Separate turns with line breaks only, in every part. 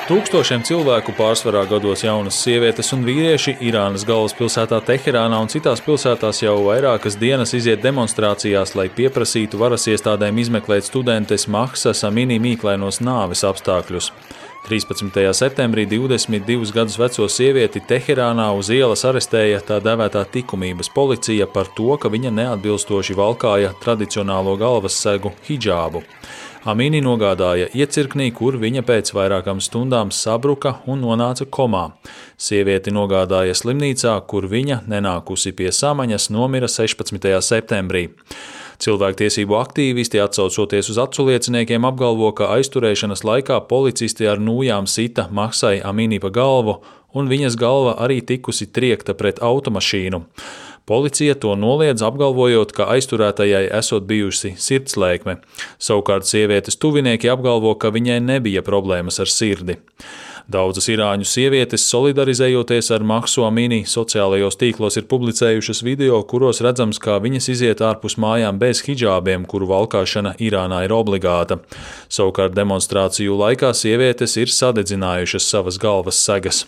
Tūkstošiem cilvēku, pārsvarā gados jaunas sievietes un vīrieši, Irānas galvaspilsētā Teherānā un citās pilsētās jau vairākas dienas iziet demonstrācijās, lai pieprasītu varas iestādēm izmeklēt studentes Mahsas Amini mīklainos nāves apstākļus. 13. septembrī 22 gadus veco sievieti Teherānā uz ielas arestēja tā dēvētā likumības policija par to, ka viņa neatbilstoši valkāja tradicionālo galvassegu hidžābu. Amini nogādāja iecirknī, kur viņa pēc vairākām stundām sabruka un nonāca komā. Sievieti nogādāja slimnīcā, kur viņa, nenākusi pie samaņas, nomira 16. septembrī. Cilvēktiesību aktīvisti, atsaucoties uz aculieciniekiem, apgalvo, ka aizturēšanas laikā policisti ar nūjām sita Mahsai Amini pa galvu, un viņas galva arī tikusi triekta pret automašīnu. Policija to noliedz, apgalvojot, ka aizturētajai esot bijusi sirdslēkme. Savukārt sievietes tuvinieki apgalvo, ka viņai nebija problēmas ar sirdi. Daudzas irāņu sievietes, solidarizējoties ar Mahsu Amini, sociālajos tīklos ir publicējušas video, kuros redzams, kā viņas iziet ārpus mājām bez hidžābiem, kuru valkāšana Irānā ir obligāta. Savukārt demonstrāciju laikā sievietes ir sadedzinājušas savas galvas segas.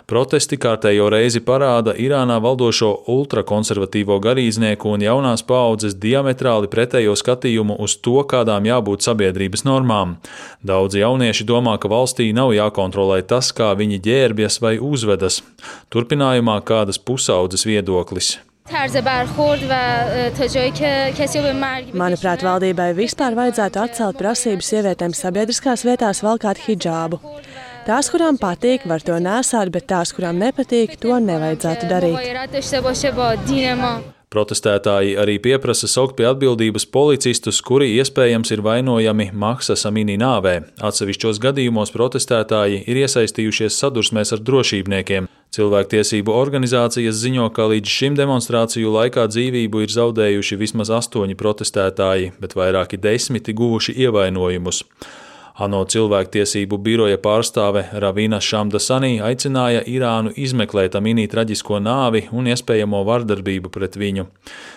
Protesti kārtējo reizi parāda Irānā valdošo ultrakonservatīvo garīdznieku un jaunās paaudzes diametrāli pretējo skatījumu uz to, kādām jābūt sabiedrības normām. Daudzi jaunieši domā, ka valstī nav jākontrolē tas, kā viņi ģērbjas vai uzvedas. Turpinājumā kādas pusaudzes viedoklis.
Manuprāt, valdībai vispār vajadzētu atcelt prasību sievietēm sabiedriskās vietās valkāt hidžābu. Tās, kurām patīk, var to nēsāt, bet tās, kurām nepatīk, to nevajadzētu darīt.
Protestētāji arī pieprasa saukt pie atbildības policistus, kuri iespējams ir vainojami Mahsas Amini nāvē. Atsevišķos gadījumos protestētāji ir iesaistījušies sadursmēs ar drošībniekiem. Cilvēktiesību organizācijas ziņo, ka līdz šim demonstrāciju laikā dzīvību ir zaudējuši vismaz 8 protestētāji, bet vairāki 10 guvuši ievainojumus. ANO cilvēktiesību biroja pārstāve Ravina Šamdasanī aicināja Irānu izmeklēt Amini traģisko nāvi un iespējamo vardarbību pret viņu.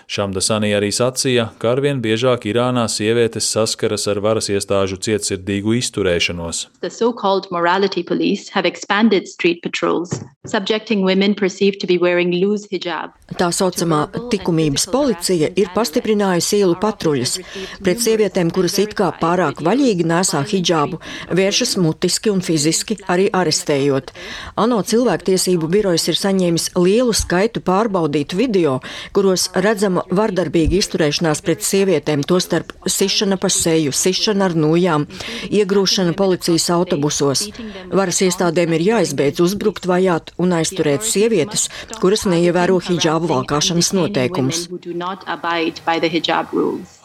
Šamdasanī arī sacīja, ka arvien biežāk Irānā sievietes saskaras ar varas iestāžu cietsirdīgu izturēšanos.
The so-called morality police have expanded street patrols, subjecting women perceived to be wearing loose hijab.
Tā saucamā likumības policija ir pastiprinājusi ielu patruļas pret sievietēm, kuras it kā pārāk vaļīgi nēsā hidžābu, vēršas mutiski un fiziski, arī arestējot. ANO cilvēktiesību birojas ir saņēmis lielu skaitu pārbaudītu video, kuros redzama vardarbīga izturēšanās pret sievietēm, tostarp sišana pa seju, sišana ar nūjām, iegrūšana policijas autobusos. Varas iestādēm ir jāizbeidz uzbrukt, vajāt un aizturēt sievietes, kuras neievēro hidžābu valkāšanas noteikumus.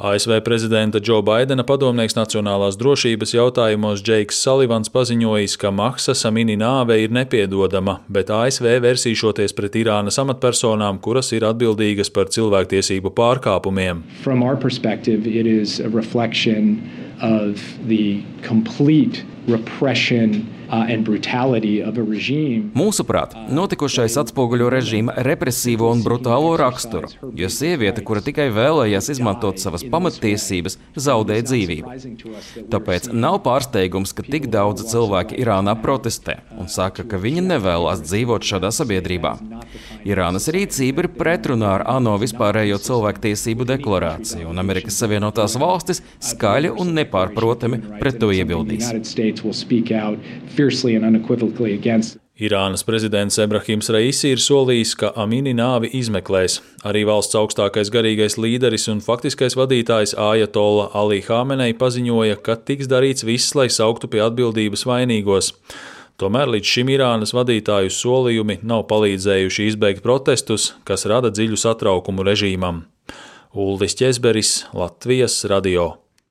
ASV prezidenta Džo Baidena padomnieks nacionālās drošības jautājumos Džeiks Salivans paziņojis, ka Mahsas Amini nāve ir nepiedodama, bet ASV versīšoties pret Irānas amatpersonām, kuras ir atbildīgas par cilvēktiesību pārkāpumiem.
From our perspective, it is a reflection of the complete repression and brutality of a regime.
Mūsuprāt, notikušais atspoguļo režīma represīvo un brutālo raksturu, jo sieviete, kura tikai vēlējās izmantot savas pamattiesības, zaudēja dzīvību. Tāpēc nav pārsteigums, ka tik daudzi cilvēki Irānā protestē un saka, ka viņi nevēlas dzīvot šādā sabiedrībā. Irānas rīcība ir pretrunā ar ANO vispārējo cilvēktiesību deklarāciju, un Amerikas Savienotās valstis skaļi un nepārprotami pret to iebildīs.
Irānas prezidents Ebrahims Raisi ir solījis, ka Amini nāvi izmeklēs. Arī valsts augstākais garīgais līderis un faktiskais vadītājs Ajatolla Ali Hamenei paziņoja, ka tiks darīts viss, lai sauktu pie atbildības vainīgos. Tomēr līdz šim Irānas vadītāju solījumi nav palīdzējuši izbeigt protestus, kas rada dziļu satraukumu režīmam. Uldis Ķezberis, Latvijas radio.